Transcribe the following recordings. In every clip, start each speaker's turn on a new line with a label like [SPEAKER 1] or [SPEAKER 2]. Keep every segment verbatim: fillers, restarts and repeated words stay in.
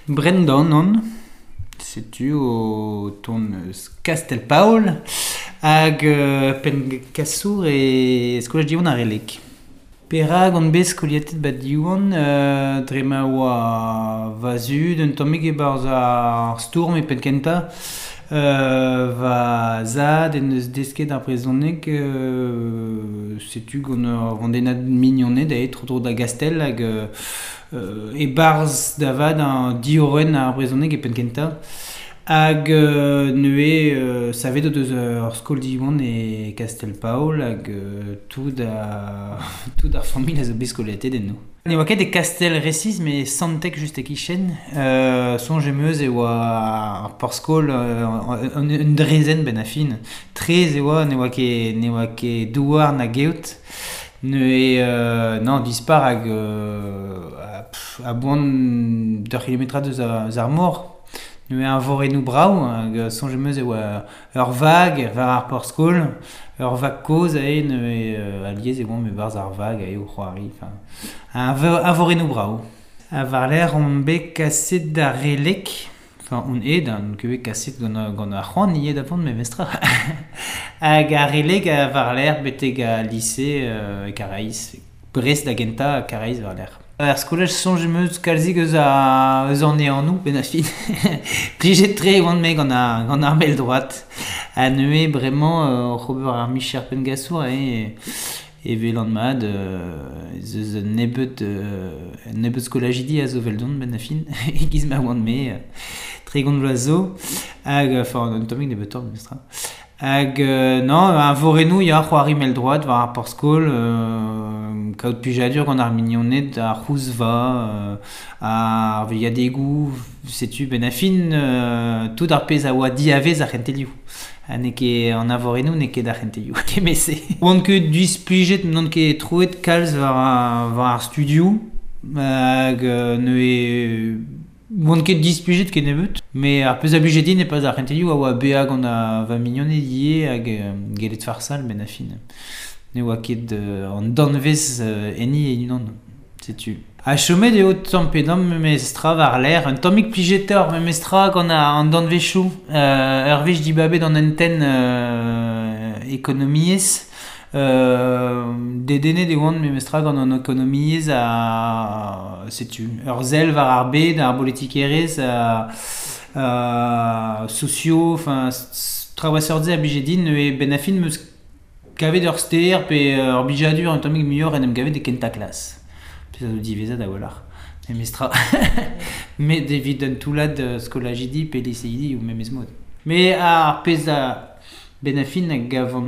[SPEAKER 1] Brendan on, setu o ton eus Kastel-Paol hag euh, penn-kasour e skolaj Diwan ar Releg. Perak on bet skoliatet bat Diwan euh, dre ma oa va zud un tammig e-barzh ar stourm e penn kentañ euh, va zad en eus desket ar brezhoneg euh, setu gant ur vandennad mignoned aet tro-dro da Gastell hag euh, e-barzh da vat an diorren ar brezhoneg e penn kentañ. Hag euh, neuze euh, savet o deus ur skol Diwan e Kastel-Paol hag euh, tout a, tout ar familh a zo bet skoliatet enno. Ne oa ket e Kastel resis, mais Santec just e-kichen. Euh, soñj em eus e oa ar porzh-skol euh, un, un drezenn benn ar fin. Trez e oa, ne oa ket, ne oa ket douar na geot. Neuze euh, non, dispar hag euh, a, pff, a boan d'ur kilometrad eus ar, eus ar mor. Neuze un vorennoù brav, hag soñj em eus e oa ur vag war ar porzh-skol, ur vag kozh aze neuze euh, alies e oamp e-barzh ar vag aze o c'hoari, enfin, un, un vorennoù brav. Ha war-lerc'h on bet kaset d'ar Releg, enfin on eo, on ket bet kaset gant, gant ar c'hoant ivez da vont memestra. Hag ar Releg a war-lerc'h betek al lise euh, e Karaez, Brest da gentañ, Karaez war-lerc'h. Ar skolaj soñj em eus kalzik eus a eus an eanoù benn ar fin. Plijet tre e oan me gant ar, gant ar mell droad. Ha neuze bremañ euh, oc'h ober ar micher penngasour e e velan mat euh, ez eus un nebeud euh, un nebeud skolajidi a zo veldon benn ar fin. E-giz ma oan me euh, tregont vloaz zo. Hag, enfin, un tammig nebeutoc'h memestra. Hag euh, non, un vorennoù ya c'hoari mell droad war ar porzh-skol, euh, kaout plijadur gant ar mignoned ar c'houzva, euh, ar veilhadegoù, setu benn ar fin euh, tout ar pezh a oa diavez ar c'hentelioù. Ha n'eo ket an avorennoù n'eo ket ar c'hentelioù. Kement-se. Oan ket displijet, n'on ket troet kalz war ar, war ar studioù, hag euh, neuze oan ket displijet kennebeut, mais ar pezh a blije din e pas ar c'hentelioù a oa bezañ gant a va mignoned ivez hag euh, gellet farsal benn ar fin. Ne oa ket euh, an danvez euh, enni e-unan, setu. Ha chomet eo tamm pe damm memestra war-lerc'h, un tammig plijetoc'h memestra gant an danvezioù, euh, ur wech dibabet an hentenn euh, ekonomiezh, euh, dedennet e oan memestra gant an ekonomiezh ha setu ur sell war ar bed, ar bolitikerezh, a, a socio, enfin traoù a seurt-se a blije din, neuze benn ar fin 'm eus kavet ur ster pe ur blijadur un tammig muioc'h en em gavet e kentañ klas. Pezh a zo diwezhat a-walc'h. Memestra. Met evit un toullad skolajidi pe liseidi ou memes mod. Mais ar pezh a benn ar fin a gavan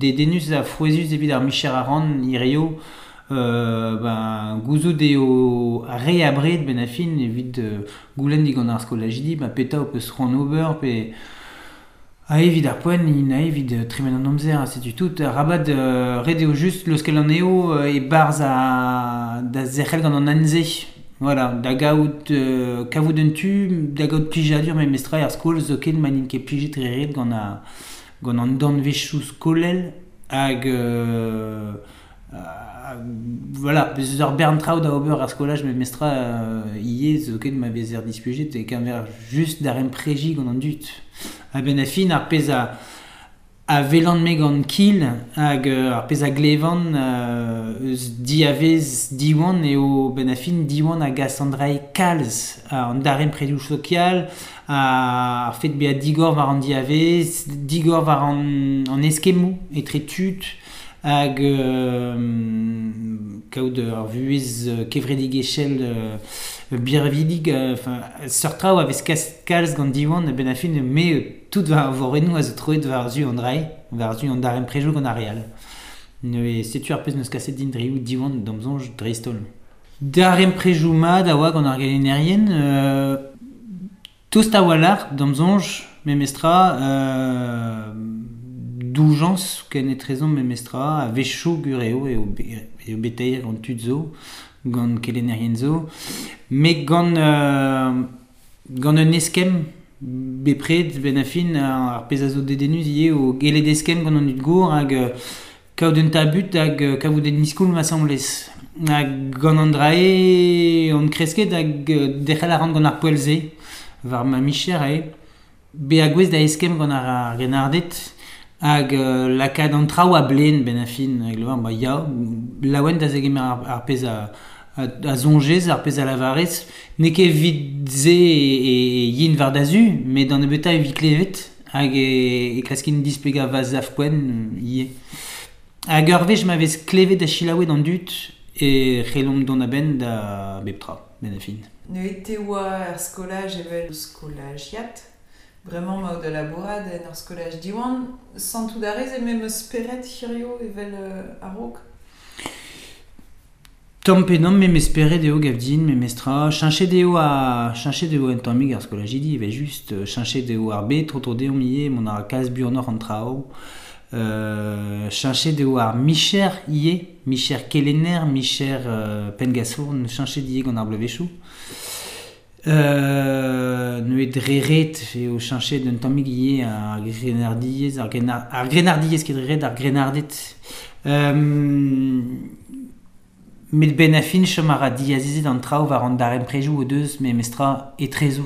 [SPEAKER 1] dedennus ha frouezhus evit ar micher a ran hirio, euh, ben, gouzout eo re abred benn ar fin evit euh, goulenn digant ar skolajidi, ba petra ho peus c'hoant ober pe a evit ar poent, int a evit tremen an amzer, ha setu tout. Rabat euh, ret eo just leuskel an eo euh, e-barzh a, da zerc'hel gant an anze. Voilà, da gaout euh, kavout un tu, da gaout plijadur memestra er skol zoken ma n'int ket plijet re ret gant a, gant an danvezioù skolel hag euh, euh, voilà, bez eus ur bern traoù da ober ar skolaj memestra euh, ivez zoken ma vezer displijet e keñver just d'ar empreji gant an dud. Ha benn ar fin ar pezh a a velan me gant kil hag euh, ar pezh a glevan euh, eus diavez Diwan eo benn ar fin Diwan hag a Sandrai kalz an darempredoù sokial ar fet bezañ digor war an diavez, digor war an, an eskemmoù etre tud hag euh, kaout ur vuhez kevredigezhel euh, birvidig, enfin seurt traoù a vez kalz gant Diwan benn ar fin me tout war vorennoù a zo troet war zu an drai, war zu an darempredoù gant ar re all. Neuze setu ar pezh n'eus kaset din dreioù Diwan d'am soñj dreist-holl. Darempredoù mat a oa gant ar gelennerien, euh, tost a-walc'h d'am soñj memestra, euh, doujañs ken etrezomp memestra, a-wechoù gur eo eo eo beteir gant tud zo, gant kelennerien zo, met gant, euh, gant un eskemm bepred benn ar fin ar pezh a zo dedennus ivez o gellet eskemm gant an dud gour hag Kaout un tabut hag kavout en iskoul ma semblez. Hag gant an drae on kresket hag dec'hel a ran gant ar poell-se war ma micher eo. Be a gwez da eskemm gant ar, ar genardet hag euh, lakaat an traoù a blen ben a fin. Hag le ba ya, laouen da zegemer ar, ar pezh a, a, a zonjez, ar pezh a lavarez. N'eo ket evit se e, e, e yin war da zu, met d'an nebeuta evit klevet hag e, e klaskin displega va zaf poen ivez. Hag ur wech ma vez klevet da chilaouet an dud e c'hellomp dont a-benn da bep tra, ben a fin.
[SPEAKER 2] Ne ete oa ar skolaj evel skolajiat, bremañ ma da labourad en ur skolaj diwan, santout a rez e mem speret hirio evel euh, a-raok?
[SPEAKER 1] Tamm pe damm mem esperet eo gav din, mem estra, cheñchet eo a cheñchet eo un tammig ar skolajidi, evel just, cheñchet eo ar bet, tro-tro deomp ivez, mont a ra kalz buanoc'h an traoù. Euh, cheñchet eo ar micher ivez, micher kelenner, micher euh, penngasour, cheñchet ivez gant ar bloavezhioù. Euh, neuze dre ret eo cheñchet un tammig ivez ar grenardiez, ar grenar, ar grenardiez ket dre ret, ar grenarded. Euh, met ben a fin chom a ra diazezet an traoù war an daremprejoù o deus me mestra etrezoù.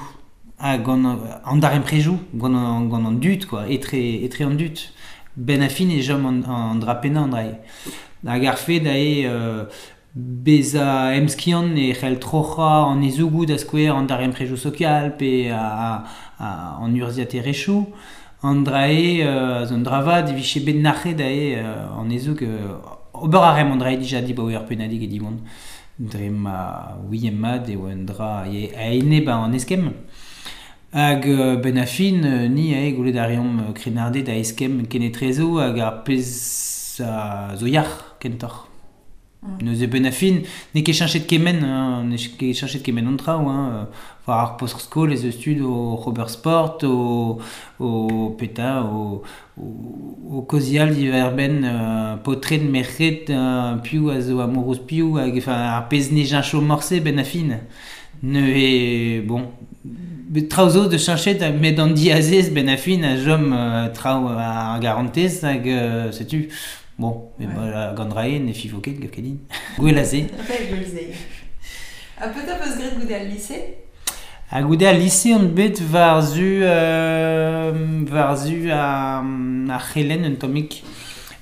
[SPEAKER 1] Ha gant an daremprejoù, gant an, gant an dud, quoi, etre, etre an dud. Ben a fin e chom an, an drapennañ an drae. Hag ar fed ae euh, beza emskiant e c'hell troc'hañ an ezougoù da skouer an daremprejoù sokial pe a, a, a, an urzhiaterezhioù. An drae euh, zo un dravad e vije bet nac'het ae euh, an ezoug euh, ober a remm an drae dija dibaoe ur pennadig e Diwan. Dre ma ouiem mat eo un dra e a-enep an eskemm. Hag euh, ben a fin, ni ae goulet a reomp krennarded a eskemm kenetrezo hag ar pezh a zo yac'h kentoc'h.
[SPEAKER 2] Mm.
[SPEAKER 1] Neuze ben a fin, n'eo ket cheñchet kement, hein, n'eo ket cheñchet kement an traoù, hein. War ar post skol ez eus tud o ober sport, o, o peta, o, o, o kozial diwar-benn euh, paotred, merc'hed, euh, piv a zo amourouz piv, hag enfin, ar pezh ne cheñcho morse ben a fin. Neuze, bon, bet traoù zo de cheñchet, met an diazez ben a fin a chom euh, traoù ar garantez hag euh, setu. Bon, mais
[SPEAKER 2] Ouais.
[SPEAKER 1] ba, gant drae ne fivo ket gav ket din. Gwell a se.
[SPEAKER 2] Ouais, gwell se. Ha petra peus graet goude al lycée?
[SPEAKER 1] Ha goude al lycée on bet war-zu, euh, war-zu a, ar c'helenn un tammig.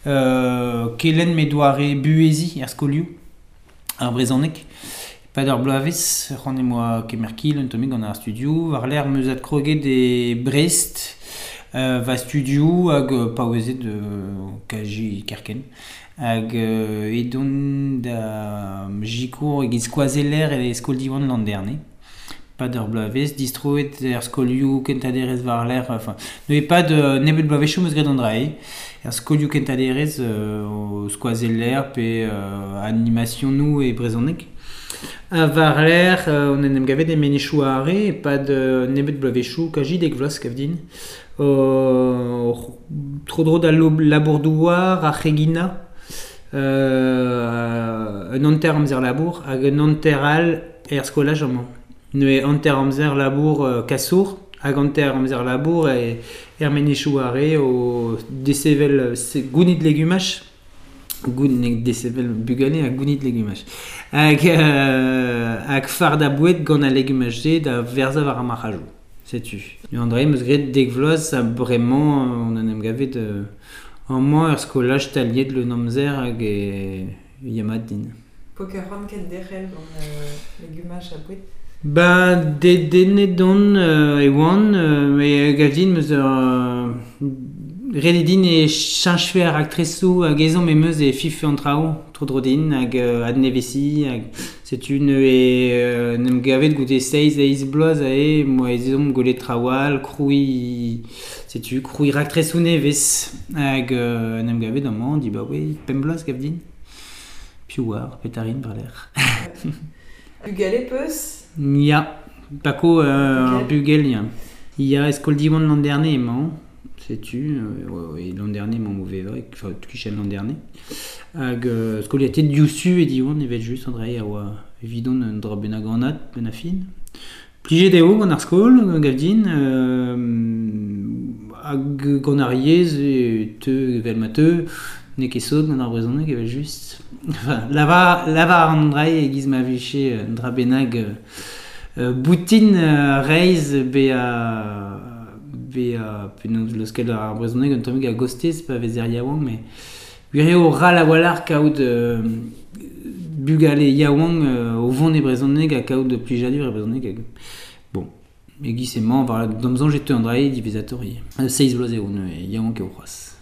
[SPEAKER 1] Euh, kelenn me doare buhezi er skolioù, ar brezhoneg. Pad ur bloavezh, c'hoant em boa kemer kil un tammig gant ar studio. War-lerc'h meus adkroget e Brest, euh, va studio hag euh, paouezet euh, kaji kerken. Hag euh, edon da jikour egiz skoazeller e skol Diwan l'an dernier. Pad ur bloavezh, distroet er skolioù kentaderez war-lerc'h, enfin, neuze pad euh, nebeut bloavezhioù meus graet an drae. Er skolioù kentaderez euh, o skoazeller pe euh, animationoù e brezhoneg. Ha war-lerc'h, euh, on en em gavet e menezioù Are, pad euh, nebeut bloavezhioù, kaji dek vloaz kav din. Euh, tro-dro da labour-douar, ar c'hegina, euh, un hanter amzer labour, hag un hanter all er skolaj amañ. Neuze hanter amzer labour euh, kasour, hag hanter amzer labour e er menezioù Are o desevel gounid legumaj, gounid desevel bugale ha gounid legumaj. Hag, euh, hag fard a boued gant al legumaj-se da verzañ war ar marc'hajoù. Setu. André meus graet dek vloaz ha bremañ on en em gavet euh, amañ ur skolaj taliet le amzer hag e ya mat din.
[SPEAKER 2] Poker ran ket derc'hel gant euh, legumaj ha boued?
[SPEAKER 1] Ba, dedennet on euh, e oan, euh, e gav din meus ur euh, ret eo din e cheñchfe ar aktresoù hag ezhomm em eus e fife an traoù, tro-dro din, hag euh, adnevesi, hag setu neuze euh, n'em gavet goude seizh eizh bloaz ae, moa ezhomm gwelet traoù all, krouiñ, setu, krouiñ raktresoù nevez, hag euh, n'em gavet amañ, di ba oe, pemp bloaz gav din. Piv oar, petarin war-lerc'h.
[SPEAKER 2] Bugale peus?
[SPEAKER 1] Ya, pako euh,
[SPEAKER 2] Ok.
[SPEAKER 1] bugel, ya. Ya, eskol Diwan l'an dernier emañ, setu, euh, ouais, ouais, l'an dernier emañ mauvais vrai, enfin, kichen l'an dernier. Hag euh, skoliatet diouzhtu e Diwan evel just, Andrei a oa evidon un dra bennak anat, ben a fin. Plijet eo gant ar skol, gav din, euh, hag gant ar yezh e teu evel ma teu, N'eo ket sot gant ar brezhoneg evel just. Enfin, lavar, lavar an dra e giz ma vije un dra bennak euh, boutin euh, reizh be a be a penaos leuskel ar brezhoneg un tammig a gostez pa vez er yaouank mais gwir eo ral a-walc'h kaout euh, bugale yaouank euh, o vont e brezhoneg ha kaout plijadur e brezhoneg hag bon e giz emañ war d'am soñj e teu an dra-se diwezhatoc'h ivez. Seizh vloaz eo neuze yaouank eo c'hoazh.